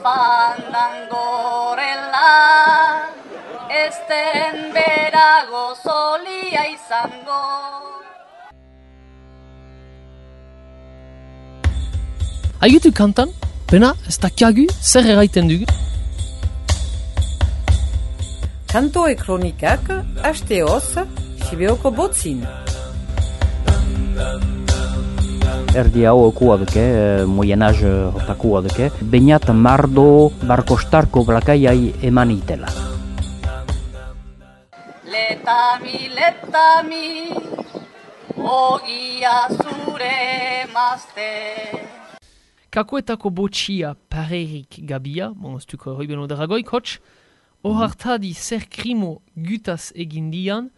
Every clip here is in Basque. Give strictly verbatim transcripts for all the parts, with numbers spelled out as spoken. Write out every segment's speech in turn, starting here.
fandangorela, esten berago zolia izango. Haigetu kantan, pena ez dakiagu zer erraiten dugu. Kantoe kronikak, hasteoz, Sibeoko botzin. Erdi hau okua duke, Moyen Âge hotakua duke, bainat mardo barkostarko blakaiai eman itela. Letami, letami, ogia zure mazte. Kakoetako botxia parerik gabia, bon, ez duko hoi beno daragoik, hotx, ohartadi zer krimo gutaz egindian,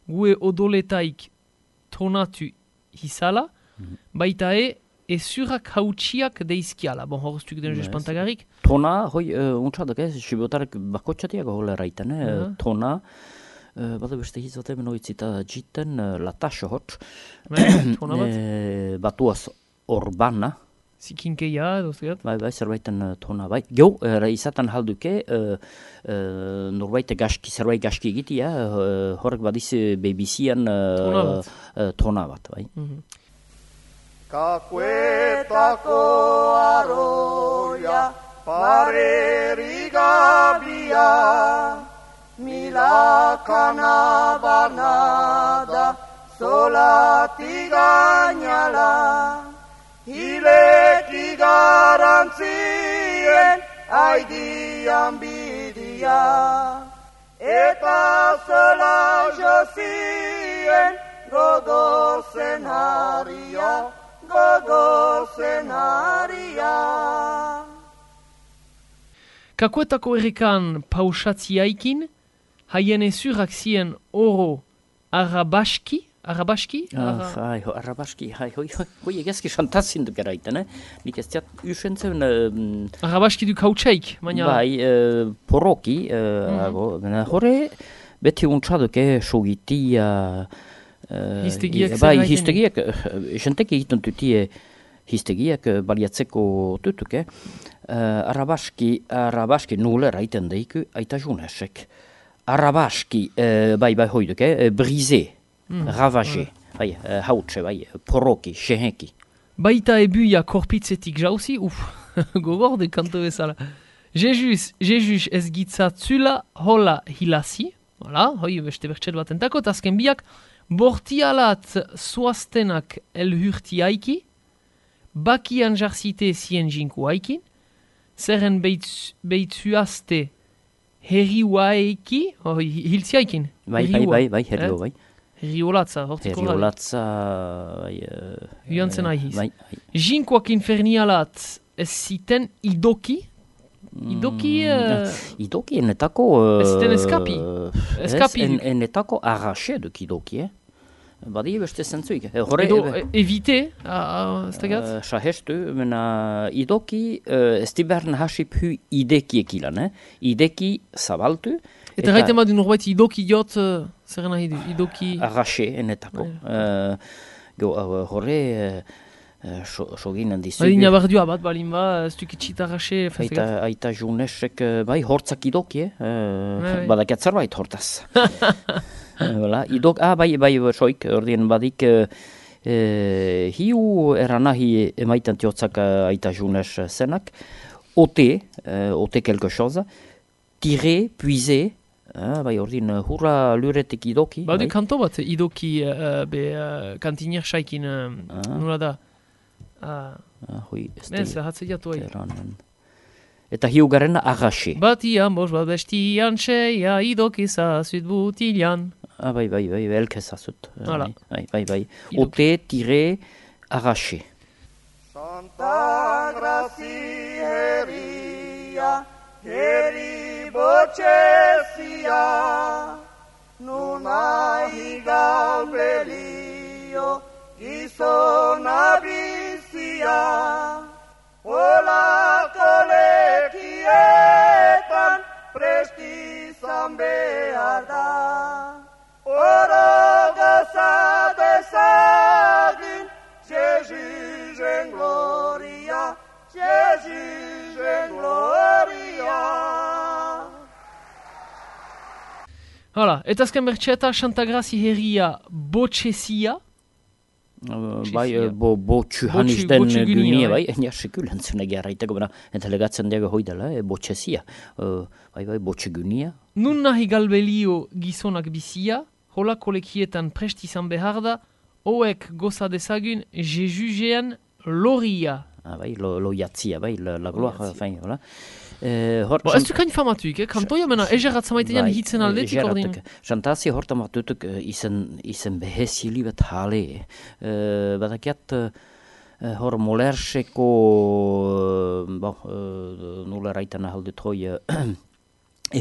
gue odoletaik tonatu hisala, baita e, ezurak hautsiak deizkiala. Bon, horreztuk den espantagarik. Tona, hoi, uh, untsadak ez, sibotarek bakotxatiak hola erraiten, eh? Uh-huh. Tona, uh, bada beste hizote benoitzita jiten uh, lataxo hotx. Tona bat? E, batuaz orbana. Zikinkeia, dozgat? Bai, bai, zerbaiten uh, tona, bai. Gau, uh, izaten halduke, uh, uh, norbait gaski, zerbait gaski egitia, uh, horrek badiz bebizian uh, tona bat, uh, tona bat, bai. Mm-hmm. Kakuetako aroia, parerigabia, milakana banada, solati gainala, hileki garantzien aidian bidia, eta zela jozien gogozen haria, gogozen haria. Kakoetako errekan pausatziaikin, haien ezurak zien oro arabaski, Arabaski? Ah, hai, arabaski, hai, hoi, hoi, hoi, egezki santazin duk eraiten, eh? Nik ez diat usentzen... Uh, arabaski du kautsaik, baina... Bai, uh, poroki, uh, mm-hmm. ago, horre, beti untsaduk, eh, sogitia... Uh, histegiak bai, histegiak, jentek egiten dutie histegiak baliatzeko tutuk, eh? Uh, arabaski, arabaski nule eraiten deiku, aita junesek. Arabaski, uh, bai, bai, hoiduk, eh? Brisé. Mm, ravagé, mm. bai, uh, hautse, bai, poroki, sehenki. Baita ebuia korpitzetik jauzi, uf, gogorde kanto bezala. Jejuz, jejuz ez gitzatzula hola hilasi, voilà, hoi beste bertxet bat entako, tazken biak, bortialat suaztenak elhurtiaiki, bakian jarzite zien jinku haikin, zerren beitzuazte herriuaiki, hoi hilziaikin. Bai, bai, bai, bai, herriu, bai. Herriolatza, hortziko gara. Herriolatza... Huantzen uh, ahiz. Bai, bai. Jinkoak infernialat ez ziten idoki? Idoki... Uh, idoki enetako... Uh, ez ziten eskapi? Eskapi. Ez, en, enetako arraxe duk idoki, eh? Badi beste zentzuik. Horre, Edo, e, evite, ez tegat? Uh, Sahestu, mena idoki uh, ez dibern hasip hu ideki ekilan, eh? Ideki zabaltu. Eta gaiten badu norbait idoki jot, uh, zer nahi du, idoki... Arraxe, enetako. Uh, go, uh, horre, uh, sogin handizu. Adina bardua bat, balin ba, ez dukitxit arraxe... Aita, aita junesek, uh, bai, hortzak idoki, eh? Uh, Badakat zerbait hortaz. Voilà, idok, ah, bai, bai, soik, ordien badik, uh, uh, hiu eranahi emaitan tiotzak uh, aita junes zenak, ote, uh, ote quelque chose, tirer, puiser, ah, bai, ordin, hurra luretek idoki. Badu bai? Kanto bat, idoki, uh, be, uh, kantinier saikin, uh, ah. Nula da. Uh, ah, hui, ez da. Ez, hatzeiatu hai. Eta hiugaren arraxe. Batian, bos, bat bestian, seia, idokiza, zut butilan. Ah, bai, bai, bai, elkezazut. Hala. Bai, bai, bai. Ote, tire, arraxe. Santa Grazi herria, herri botxezia, nuna higal belio, gizona bizia, olako lekietan prestizan behar da. Oro goza dezagin, Jesusen gloria, Jesusen gloria. Hala, eta azken bertxeta, Santagrazi herria botxezia. Uh, bai, uh, bo, botxu hanis den gynia, bai, enia sekulen zune gerraiteko, bera, entelegatzen diago hoidela, e, botxezia. Uh, bai, bai, botxe gynia. Nun nahi galbelio gizonak bizia, hola kolekietan prest izan behar da, hoek goza dezagun jejugean loria. Ah, bai, lo, lo jatzia, bai, la, la gloa, fain, hola. Eh, hor, Bo, ez du kain famatuik, eh? Kantoia mena egerat zamaitean hitzen aldetik ordin. Xantazia horta matutuk izen, izen behezili bat hale. Uh, badakiat uh, hor molerseko, uh, bon, uh, nula raitana haldut hoi, uh,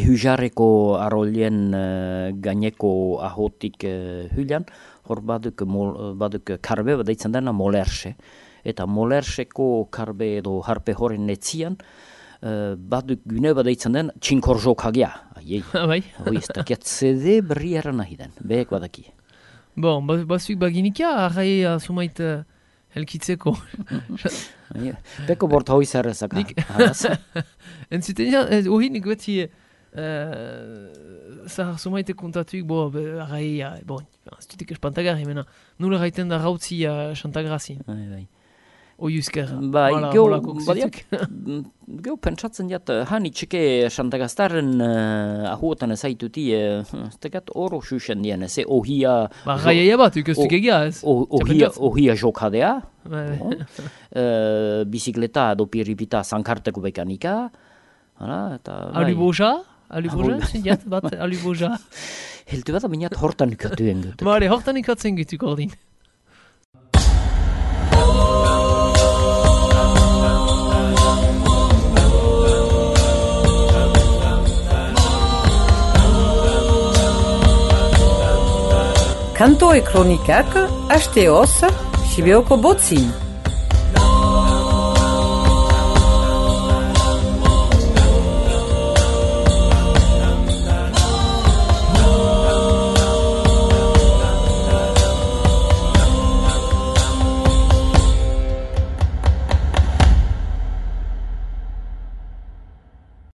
ehujareko arolien uh, gaineko ahotik uh, hylian, hor baduk, mol, baduk karbe badaitzen dena molerse. Eta molerseko karbe edo harpe horren netzian, Uh, baduk gune badaitzen den txinkorjok hagia. Aiei. Bai. Hoi, ez dakiat zede berriara nahi den. Behek badaki. Bon, bazuik baginikia, arrai sumait uh, helkitzeko. Beko bort hoi zerrezak. Entzuten ja, ohi nik beti zahar sumaite kontatuik, bo, arrai, bon, ez dutik espantagarri, mena, nula gaiten da rautzi Santagrazi. Bai, bai. Oiuzker, bai, hola, geu, hola koksitzuk. Geu pentsatzen jat, hani txeke Santagaztaren uh, ahuotan ezaituti, uh, ez tekat oro xuxen dien, ez, ohia... Ba, gaia bat, ukestuk egia, ez? Ohia, ohia jokadea, Bai. uh, bizikleta edo piripita zankarteko bekanika, hala, eta... Aluboja? Aluboja, zindiat bat, aluboja. Heltu bat aminat hortan ikatuen gut. Mare, hortan ikatzen gutuk ordin. Kanto e kronikak, hasteoz, Sibeoko botzin.